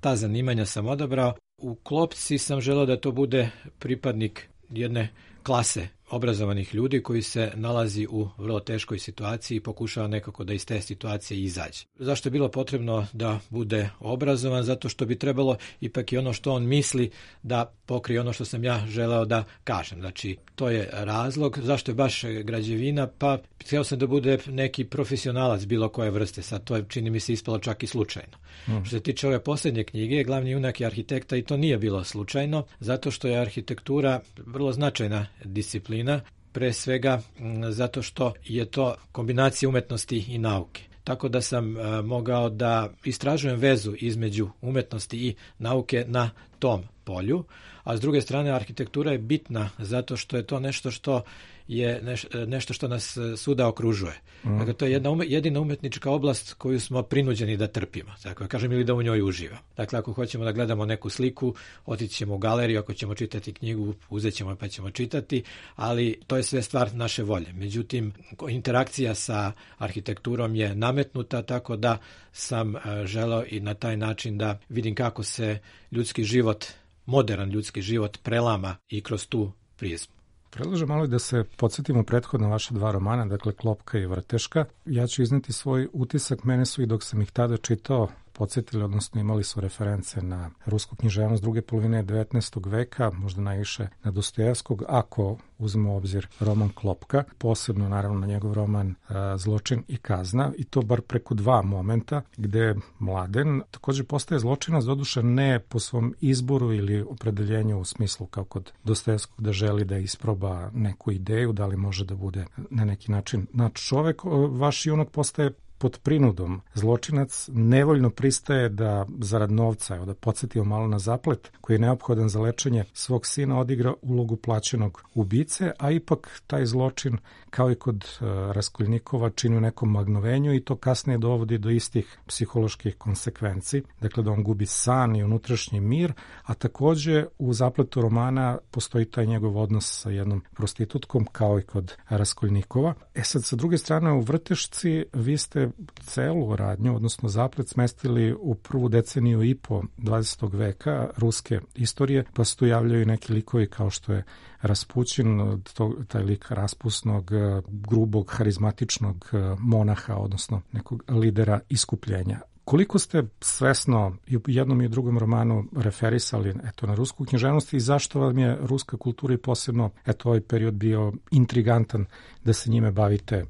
ta zanimanja sam odabrao, u Klopci sam želeo da to bude pripadnik jedne klase obrazovanih ljudi koji se nalazi u vrlo teškoj situaciji i pokušava nekako da iz te situacije izađe. Zašto je bilo potrebno da bude obrazovan? Zato što bi trebalo ipak i ono što on misli da pokrije ono što sam ja želeo da kažem. Znači, to je razlog. Zašto je baš građevina? Pa htio sam da bude neki profesionalac bilo koje vrste. Sad to je, čini mi se, ispalo čak i slučajno. Što se tiče ove posljednje knjige, glavni junak je arhitekta i to nije bilo slučajno, zato što je arhitektura vrlo značajna disciplina, pre svega zato što je to kombinacija umetnosti i nauke. Tako da sam mogao da istražujem vezu između umetnosti i nauke na tom polju, a s druge strane arhitektura je bitna zato što je to nešto što je nešto što nas svuda okružuje. Dakle, to je jedina umetnička oblast koju smo prinuđeni da trpimo, tako kažem, ili da u njoj uživamo. Dakle, ako hoćemo da gledamo neku sliku, otići ćemo u galeriju, ako ćemo čitati knjigu, uzet ćemo pa ćemo čitati, ali to je sve stvar naše volje. Međutim, interakcija sa arhitekturom je nametnuta, tako da sam želeo i na taj način da vidim kako se ljudski život, moderan ljudski život prelama i kroz tu prizmu. Predlažem malo da se podsjetimo prethodno vaša dva romana, dakle Klopka i Vrteška. Ja ću izneti svoj utisak, mene su i dok sam ih tada čitao podsjetili, odnosno imali su reference na rusku književnost druge polovine 19. veka, možda najviše na Dostojevskog, ako uzmemo u obzir roman Klopka, posebno naravno na njegov roman Zločin i kazna, i to bar preko dva momenta gde Mladen također postaje zločinac, doduše ne po svom izboru ili opredeljenju u smislu kao kod Dostojevskog da želi da isproba neku ideju, da li može da bude na neki način nadčovek. Vaš junak postaje pod prinudom zločinac, nevoljno pristaje da zarad novca, evo da podsjetimo malo na Zaplet, koji je neophodan za lečenje svog sina, odigra ulogu plaćenog ubice, a ipak taj zločin, kao i kod Raskolnikova, čini u nekom magnovenju i to kasnije dovodi do istih psiholoških konsekvenci. Dakle, da on gubi san i unutrašnji mir, a takođe u Zapletu romana postoji taj njegov odnos sa jednom prostitutkom, kao i kod Raskolnikova. Sad, sa druge strane, u Vrtešci vi ste celu radnju, odnosno Zaplet, smestili u prvu deceniju i po 20. veka ruske istorije, pa se tu javljaju neki likovi kao što je Raspućin, taj lik raspusnog, grubog, harizmatičnog monaha, odnosno nekog lidera iskupljenja. Koliko ste svesno i u jednom i u drugom romanu referisali na rusku književnost i zašto vam je ruska kultura i posebno ovaj period bio intrigantan da se njime bavite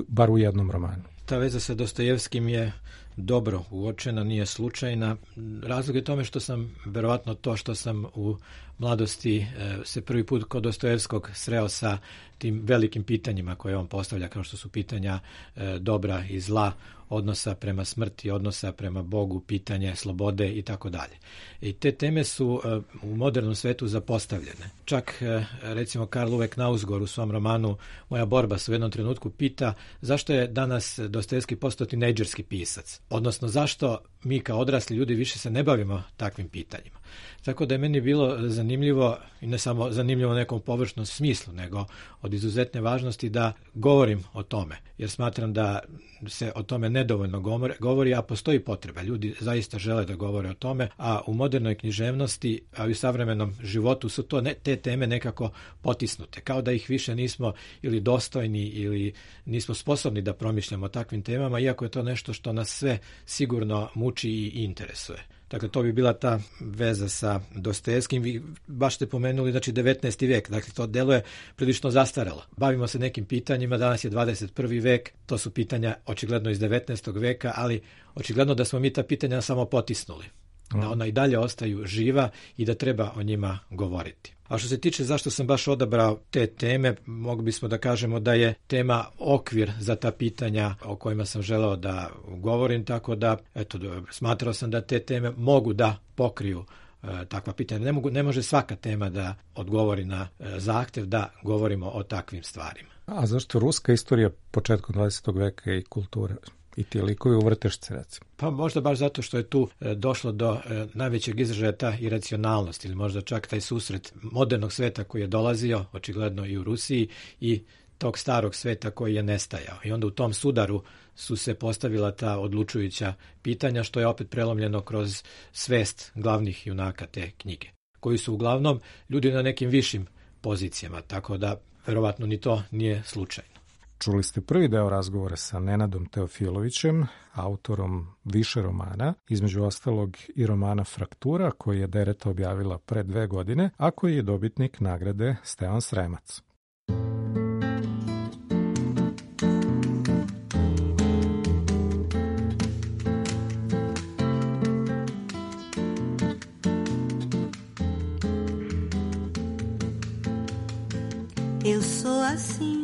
bar u jednom romanu? Ta veza sa Dostojevskim je dobro uočena, nije slučajna. Razlog je tome što sam, verovatno to što sam u mladosti se prvi put kod Dostojevskog sreo sa tim velikim pitanjima koje on postavlja, kao što su pitanja dobra i zla, odnosa prema smrti, odnosa prema Bogu, pitanje slobode i tako dalje. I te teme su u modernom svetu zapostavljene. Čak, recimo, Karl Uwe Knausgård u svom romanu Moja borba se u jednom trenutku pita zašto je danas Dostojevski postao tinejdžerski pisac, odnosno zašto mi kao odrasli ljudi više se ne bavimo takvim pitanjima. Tako da je meni bilo zanimljivo, i ne samo zanimljivo u nekom površnom smislu, nego od izuzetne važnosti da govorim o tome, jer smatram da se o tome nedovoljno govori, a postoji potreba. Ljudi zaista žele da govore o tome, a u modernoj književnosti, a i u savremenom životu su te teme nekako potisnute, kao da ih više nismo ili dostojni ili nismo sposobni da promišljamo o takvim temama, iako je to nešto što nas sve sigurno muči i interesuje. Dakle, to bi bila ta veza sa Dostojevskim. Vi baš ste pomenuli, znači, 19. vek. Dakle, to deluje prilično zastarelo. Bavimo se nekim pitanjima, danas je 21. vek, to su pitanja očigledno iz 19. veka, ali očigledno da smo mi ta pitanja samo potisnuli. Da ona i dalje ostaju živa i da treba o njima govoriti. A što se tiče zašto sam baš odabrao te teme, mogli bismo da kažemo da je tema okvir za ta pitanja o kojima sam želeo da govorim, tako da smatrao sam da te teme mogu da pokriju takva pitanja. Ne može svaka tema da odgovori na zahtev da govorimo o takvim stvarima. A zašto ruska istorija početkom 20. veka i kultura? I ti likovi u Vrtešci, recimo? Pa možda baš zato što je tu došlo do najvećeg izražaja ta iracionalnost ili možda čak taj susret modernog sveta koji je dolazio, očigledno i u Rusiji, i tog starog sveta koji je nestajao. I onda u tom sudaru su se postavila ta odlučujuća pitanja, što je opet prelomljeno kroz svest glavnih junaka te knjige, koji su uglavnom ljudi na nekim višim pozicijama, tako da verovatno ni to nije slučajno. Čuli ste prvi deo razgovora sa Nenadom Teofilovićem, autorom više romana, između ostalog i romana Fraktura, koji je Dereta objavila pre 2 godine, a koji je dobitnik nagrade Stevan Sremac. Eu sou assim.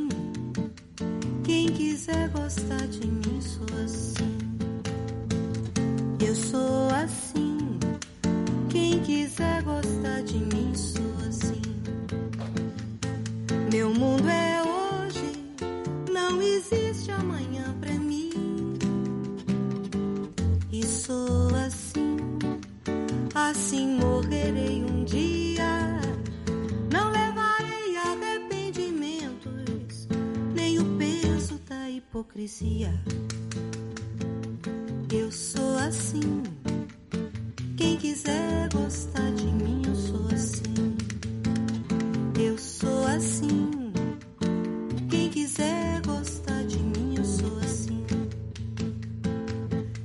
Quem quiser gostar de mim, sou assim. Eu sou assim. Quem quiser de mim, sou assim. Meu mundo é hoje, não existe amanhã pra mim. E sou assim, assim morrerei um dia. Não levarei arrependimentos, nem o peso da hipocrisia. Eu sou assim, quem quiser gostar de mim, eu sou assim. Eu sou assim, quem quiser gostar de mim, eu sou assim.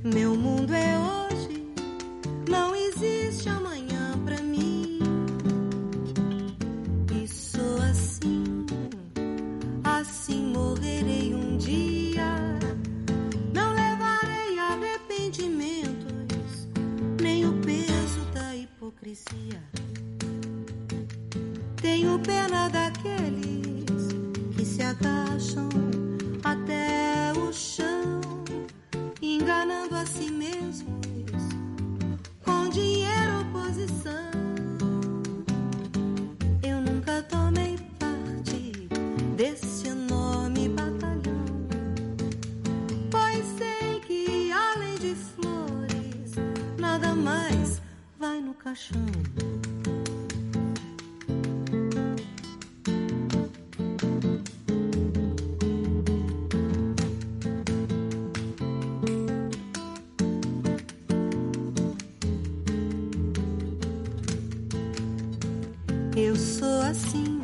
Meu mundo é hoje, não existe amanhã pra mim. E sou assim, assim morrerei um dia. Não levarei arrependimentos, nem o peso da hipocrisia. Tenho pena daqueles que se agacham até o chão, enganando a si mesmos com dinheiro ou posição. Eu nunca tomei parte desse enorme batalhão, pois sei que além de flores nada mais vai no caixão. Eu sou assim,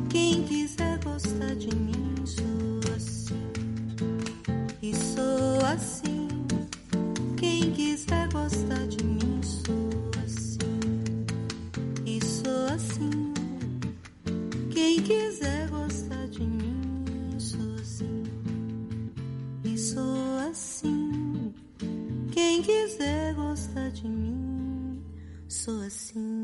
quem quiser gostar de mim, sou assim. E sou assim, quem quiser gostar de mim, sou assim. E sou assim, quem quiser gostar de mim, sou assim. E sou assim, quem quiser gostar de mim, sou assim.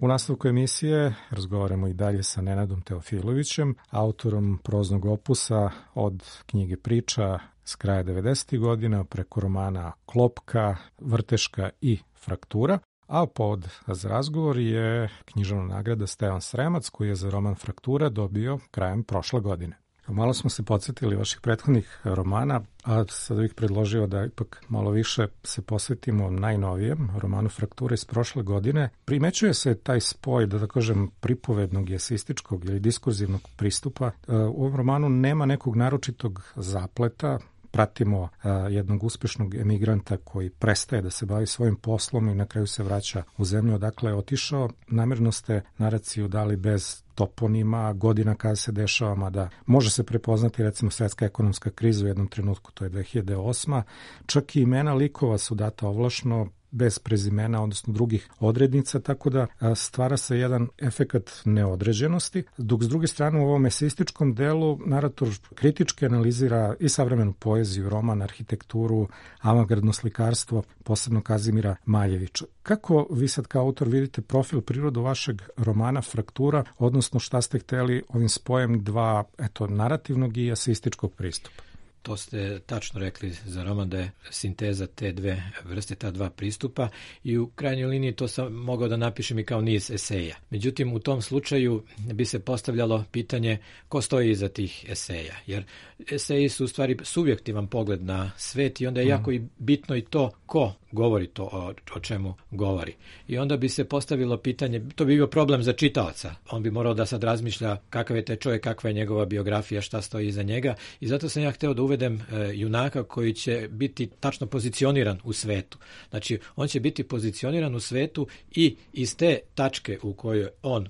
U nastavku emisije razgovaramo i dalje sa Nenadom Teofilovićem, autorom proznog opusa od knjige priča s kraja 90. godina preko romana Klopka, Vrteška i Fraktura, a povod za razgovor je književna nagrada Stevan Sremac koji je za roman Fraktura dobio krajem prošle godine. Malo smo se podsjetili vaših prethodnih romana, a sada bih predložio da ipak malo više se posvetimo najnovijem romanu Frakture iz prošle godine. Primećuje se taj spoj, da kažem, pripovednog, eseističkog ili diskurzivnog pristupa. U ovom romanu nema nekog naročitog zapleta. Pratimo jednog uspešnog emigranta koji prestaje da se bavi svojim poslom i na kraju se vraća u zemlju odakle je otišao. Namerno ste naraciju dali bez toponima, godina kada se dešava, mada može se prepoznati recimo svetska ekonomska kriza u jednom trenutku, to je 2008. Čak i imena likova su data ovlašno, bez prezimena, odnosno drugih odrednica, tako da stvara se jedan efekat neodređenosti, dok s druge strane u ovom eseističkom delu narator kritički analizira i savremenu poeziju, roman, arhitekturu, avangardno slikarstvo, posebno Kazimira Maljevića. Kako vi sad kao autor vidite profil, prirodu vašeg romana Fraktura, odnosno šta ste hteli ovim spojem dva, narativnog i eseističkog pristupa? To ste tačno rekli za roman da je sinteza te dve vrste, ta dva pristupa i u krajnjoj liniji to sam mogao da napišem i kao niz eseja. Međutim, u tom slučaju bi se postavljalo pitanje ko stoji iza tih eseja, jer eseji su u stvari subjektivan pogled na svet i onda je jako i bitno i to ko govori to o čemu govori. I onda bi se postavilo pitanje, to bi bio problem za čitaoca. On bi morao da sad razmišlja kakav je taj čovjek, kakva je njegova biografija, šta stoji iza njega i zato sam ja hteo da uvedem junaka koji će biti tačno pozicioniran u svetu. Znači, on će biti pozicioniran u svetu i iz te tačke u kojoj on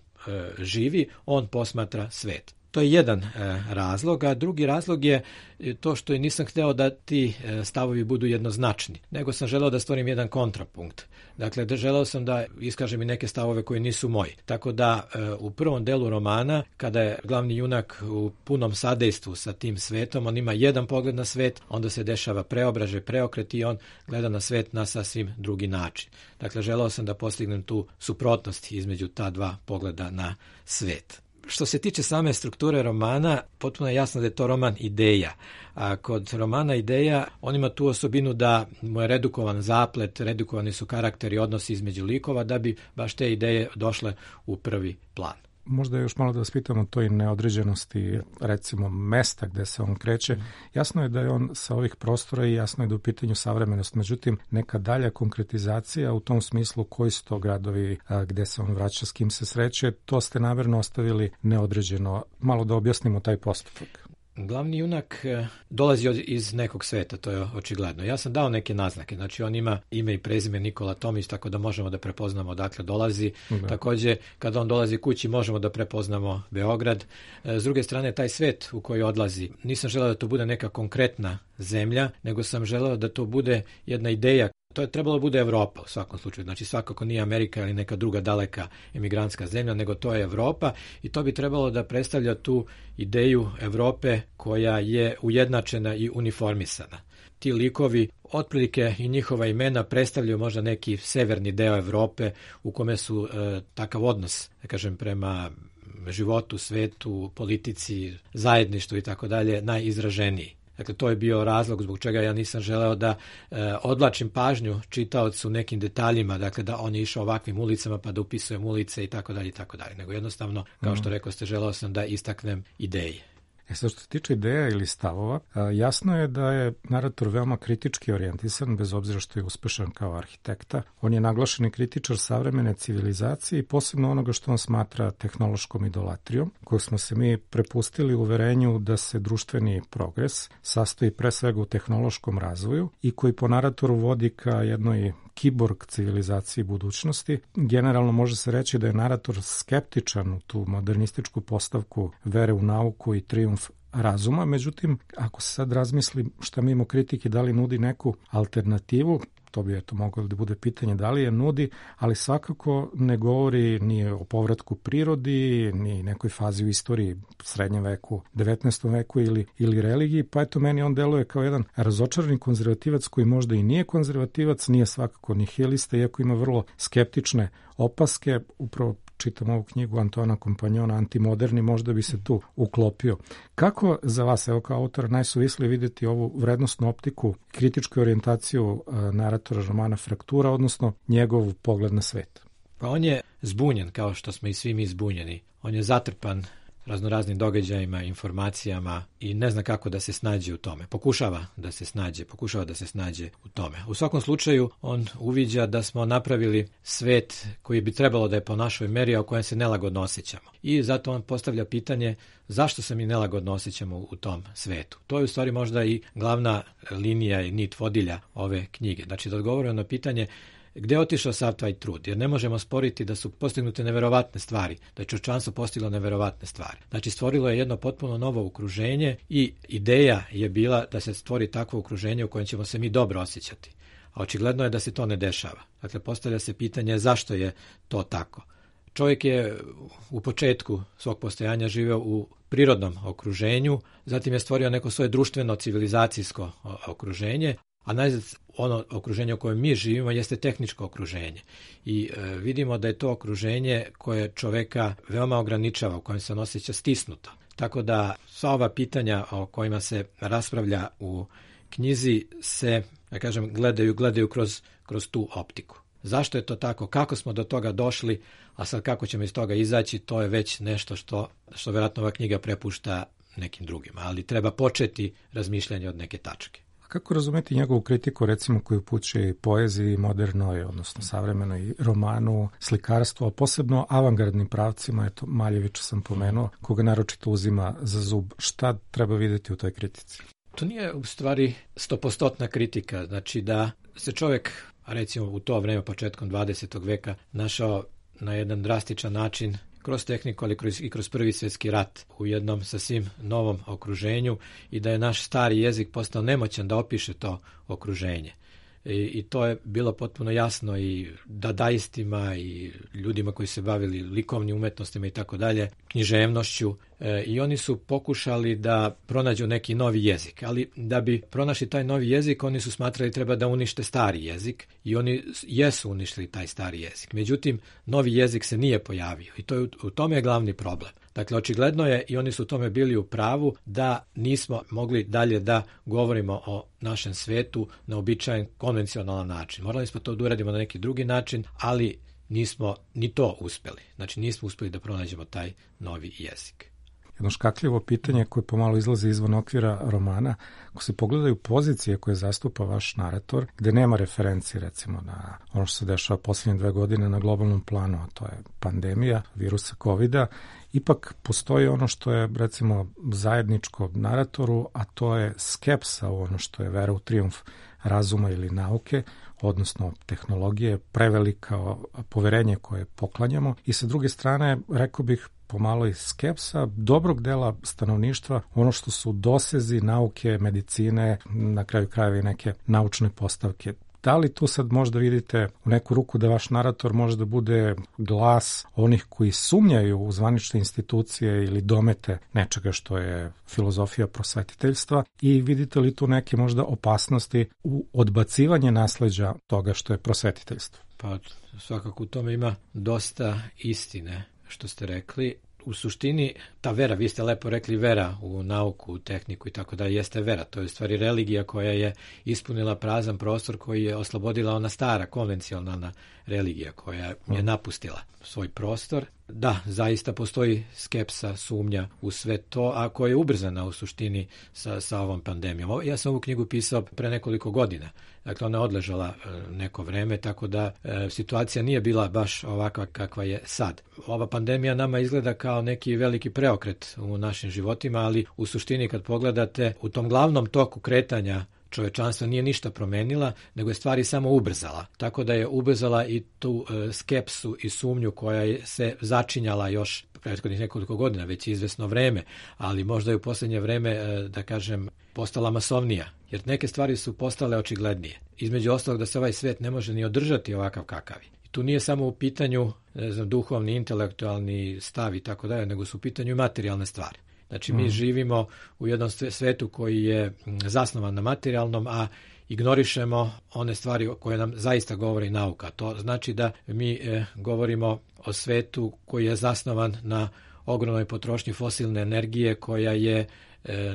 živi, on posmatra svet. To je jedan razlog, a drugi razlog je to što nisam hteo da ti stavovi budu jednoznačni, nego sam želeo da stvorim jedan kontrapunkt. Dakle, želeo sam da iskažem i neke stavove koji nisu moji. Tako da u prvom delu romana, kada je glavni junak u punom sadejstvu sa tim svetom, on ima jedan pogled na svet, onda se dešava preobražaj, preokret i on gleda na svet na sasvim drugi način. Dakle, želeo sam da postignem tu suprotnost između ta dva pogleda na svet. Što se tiče same strukture romana, potpuno je jasno da je to roman ideja. A kod romana ideja, on ima tu osobinu da mu je redukovan zaplet, redukovani su karakteri, odnosi između likova, da bi baš te ideje došle u prvi plan. Možda još malo da vas pitam o toj neodređenosti, recimo, mesta gde se on kreće. Jasno je da je on sa ovih prostora i jasno je da je u pitanju savremenost. Međutim, neka dalja konkretizacija u tom smislu koji su to gradovi gde se on vraća, s kim se sreće, to ste namerno ostavili neodređeno. Malo da objasnimo taj postupak. Glavni junak dolazi iz nekog sveta, to je očigledno. Ja sam dao neke naznake, znači on ima ime i prezime Nikola Tomić, tako da možemo da prepoznamo odakle dolazi. Da. Takođe, kada on dolazi kući, možemo da prepoznamo Beograd. S druge strane, taj svet u koji odlazi, nisam želeo da to bude neka konkretna zemlja, nego sam želeo da to bude jedna ideja. To je trebalo da bude Evropa u svakom slučaju, znači svakako nije Amerika ili neka druga daleka emigrantska zemlja, nego to je Evropa i to bi trebalo da predstavlja tu ideju Evrope koja je ujednačena i uniformisana. Ti likovi, otprilike i njihova imena predstavljaju možda neki severni deo Evrope u kome su takav odnos, da kažem, prema životu, svetu, politici, zajedništvu i tako dalje najizraženiji. Dakle, to je bio razlog zbog čega ja nisam želeo da odvlačim pažnju čitaocu nekim detaljima, dakle da on je išao ovakvim ulicama pa da upisujem ulice i tako dalje, nego jednostavno, kao što rekao ste, želeo sam da istaknem ideje. Sad što se tiče ideja ili stavova, jasno je da je narator veoma kritički orijentisan, bez obzira što je uspešan kao arhitekta. On je naglašeni kritičar savremene civilizacije i posebno onoga što on smatra tehnološkom idolatrijom, kojeg smo se mi prepustili uverenju da se društveni progres sastoji pre svega u tehnološkom razvoju i koji po naratoru vodi ka jednoj kiborg civilizaciji budućnosti. Generalno može se reći da je narator skeptičan u tu modernističku postavku vere u nauku i trijumf razuma, međutim, ako se sad razmisli šta mimo kritike, da li nudi neku alternativu, to bi moglo da bude pitanje da li je nudi, ali svakako ne govori ni o povratku prirodi, ni nekoj fazi u istoriji, srednjem veku, 19. veku ili religiji, pa eto meni on deluje kao jedan razočarani konzervativac koji možda i nije konzervativac, nije svakako nihilista, iako ima vrlo skeptične opaske, upravo čitam ovu knjigu Antona Kompanjona, Antimoderni, možda bi se tu uklopio. Kako za vas, evo kao autora, najsuvislije videti ovu vrednostnu optiku, kritičku orijentaciju naratora romana Fraktura, odnosno njegov pogled na svet? Pa on je zbunjen, kao što smo i svi mi zbunjeni. On je zatrpan raznoraznim događajima, informacijama i ne zna kako da se snađe u tome. Pokušava da se snađe u tome. U svakom slučaju, on uviđa da smo napravili svet koji bi trebalo da je po našoj meri, a u kojem se nelagodno osjećamo. I zato on postavlja pitanje zašto se mi nelagodno osjećamo u tom svetu. To je u stvari možda i glavna linija i nit vodilja ove knjige. Znači da odgovorimo na pitanje gde je otišao sav taj trud? Jer ne možemo sporiti da su postignute neverovatne stvari, da je čovječanstvo postiglo neverovatne stvari. Znači stvorilo je jedno potpuno novo okruženje i ideja je bila da se stvori takvo okruženje u kojem ćemo se mi dobro osjećati. A očigledno je da se to ne dešava. Dakle, postavlja se pitanje zašto je to tako. Čovjek je u početku svog postojanja živeo u prirodnom okruženju, zatim je stvorio neko svoje društveno civilizacijsko okruženje, a najzad ono okruženje u kojem mi živimo jeste tehničko okruženje. I vidimo da je to okruženje koje čoveka veoma ograničava, u kojem se on osjeća stisnuto. Tako da sva ova pitanja o kojima se raspravlja u knjizi se, da kažem, gledaju kroz tu optiku. Zašto je to tako? Kako smo do toga došli? A sad kako ćemo iz toga izaći, to je već nešto što vjerojatno ova knjiga prepušta nekim drugima. Ali treba početi razmišljanje od neke tačke. Kako razumeti njegovu kritiku, recimo, koju upućuje poeziji modernoj, odnosno savremenoj, romanu, slikarstvu, a posebno avangardnim pravcima, eto, Maljevića sam pomenuo, koga naročito uzima za zub. Šta treba vidjeti u toj kritici? To nije u stvari 100% kritika, znači da se čovjek, recimo u to vreme, početkom 20. veka, našao na jedan drastičan način kroz tehniku, ali i kroz Prvi svjetski rat u jednom sasvim novom okruženju i da je naš stari jezik postao nemoćan da opiše to okruženje. I to je bilo potpuno jasno i dadaistima i ljudima koji se bavili likovnim umetnostima i tako dalje, književnošću, i oni su pokušali da pronađu neki novi jezik, ali da bi pronašli taj novi jezik oni su smatrali treba da unište stari jezik i oni jesu uništili taj stari jezik. Međutim, novi jezik se nije pojavio i u tome je glavni problem. Dakle, očigledno je, i oni su u tome bili u pravu, da nismo mogli dalje da govorimo o našem svetu na običajen konvencionalan način. Morali smo to da uradimo na neki drugi način, ali nismo ni to uspeli. Znači, nismo uspeli da pronađemo taj novi jezik. Jedno škakljivo pitanje koje pomalo izlazi izvan okvira romana, ako se pogledaju pozicije koje zastupa vaš narator, gde nema referenci recimo na ono što se dešava posljednje 2 godine na globalnom planu, a to je pandemija virusa COVID-a, ipak postoji ono što je recimo zajedničko naratoru, a to je skepsa u ono što je vera u trijumf razuma ili nauke, odnosno tehnologije, prevelika poverenje koje poklanjamo i sa druge strane, rekao bih, pomalo i skepsa dobrog dela stanovništva, ono što su dosezi nauke, medicine, na kraju krajeva i neke naučne postavke. Da li tu sad možda vidite u neku ruku da vaš narator može da bude glas onih koji sumnjaju u zvanične institucije ili domete nečega što je filozofija prosvetiteljstva i vidite li tu neke možda opasnosti u odbacivanje nasleđa toga što je prosvetiteljstvo? Pa svakako u tome ima dosta istine što ste rekli. U suštini, ta vera, vi ste lepo rekli vera u nauku, u tehniku i tako da jeste vera. To je u stvari religija koja je ispunila prazan prostor koji je oslobodila ona stara, konvencionalna religija koja je napustila svoj prostor. Da, zaista postoji skepsa, sumnja u sve to, a koja je ubrzana u suštini sa ovom pandemijom. Ja sam ovu knjigu pisao pre nekoliko godina. Dakle, ona je odležala neko vreme, tako da situacija nije bila baš ovakva kakva je sad. Ova pandemija nama izgleda kao neki veliki preokret u našim životima, ali u suštini kad pogledate u tom glavnom toku kretanja čovečanstva nije ništa promenila, nego je stvari samo ubrzala. Tako da je ubrzala i tu skepsu i sumnju koja se začinjala još prethodnih nekoliko godina, već izvesno vreme, ali možda je u posljednje vreme, da kažem, postala masovnija, jer neke stvari su postale očiglednije. Između ostalog da se ovaj svet ne može ni održati ovakav kakav je. I tu nije samo u pitanju, ne znam, duhovni, intelektualni stav i tako dalje, nego su u pitanju i materijalne stvari. Znači, mi živimo u jednom svetu koji je zasnovan na materijalnom, a ignorišemo one stvari koje nam zaista govori nauka. To znači da mi govorimo o svetu koji je zasnovan na ogromnoj potrošnji fosilne energije koja je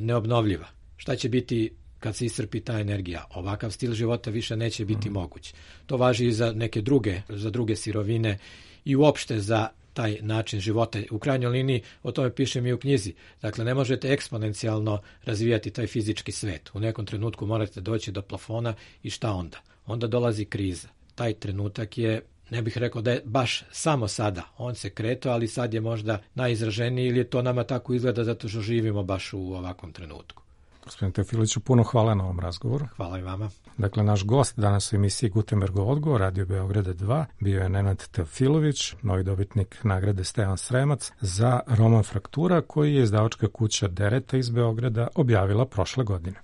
neobnovljiva. Šta će biti kad se iscrpi ta energija? Ovakav stil života više neće biti moguć. To važi i za neke druge sirovine i uopšte za taj način života. U krajnjoj liniji, o tome pišem i u knjizi. Dakle, ne možete eksponencijalno razvijati taj fizički svet. U nekom trenutku morate doći do plafona i šta onda? Onda dolazi kriza. Taj trenutak je, ne bih rekao da je baš samo sada. On se kretao, ali sad je možda najizraženiji ili to nama tako izgleda zato što živimo baš u ovakvom trenutku. Gospodine Teofiliću, puno hvala na ovom razgovoru. Hvala i vama. Dakle, naš gost danas u emisiji Gutenbergov odgovor, Radio Beograda 2, bio je Nenad Teofilović, novi dobitnik nagrade Stevan Sremac za roman Fraktura, koji je izdavačka kuća Dereta iz Beograda objavila prošle godine.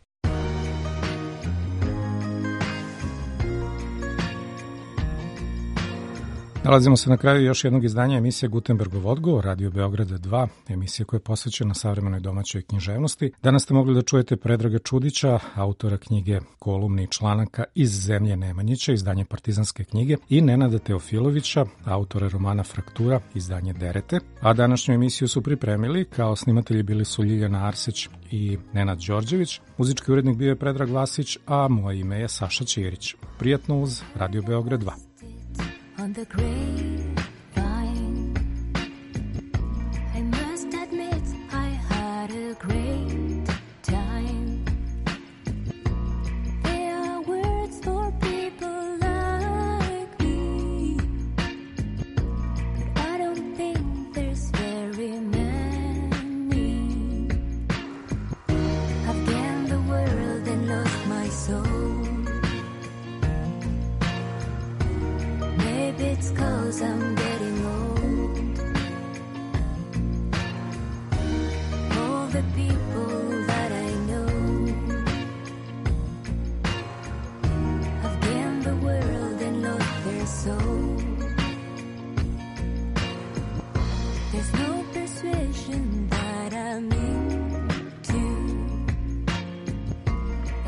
Nalazimo se na kraju još jednog izdanja emisije Gutenbergov odgovor, Radio Beograda 2, emisija koja je posvećena savremenoj domaćoj književnosti. Danas ste mogli da čujete Predraga Čudića, autora knjige Kolumni i članaka Iz zemlje Nemanjića, izdanje Partizanske knjige, i Nenada Teofilovića, autora romana Fraktura, izdanje Derete. A današnju emisiju su pripremili, kao snimatelji bili su Ljiljana Arsić i Nenad Đorđević. Muzički urednik bio je Predrag Vlasić, a moje ime je Saša Ćirić. Prijatno uz Radio Beograd 2. On the grapevine, I must admit I had a great time. There are words for people like me, but I don't think there's very many. I've gained the world and lost my soul. It's 'cause I'm getting old. All the people that I know have gained the world and lost their soul. There's no persuasion that I'm into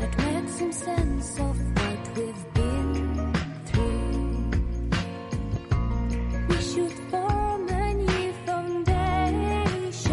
that makes some sense of what we've been through. We should form a new foundation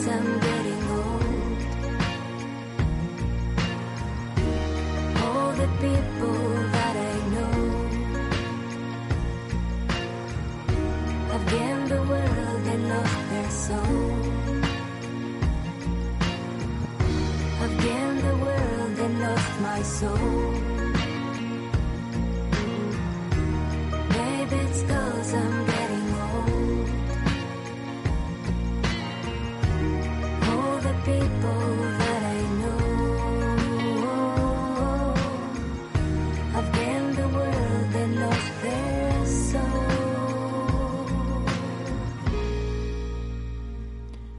sam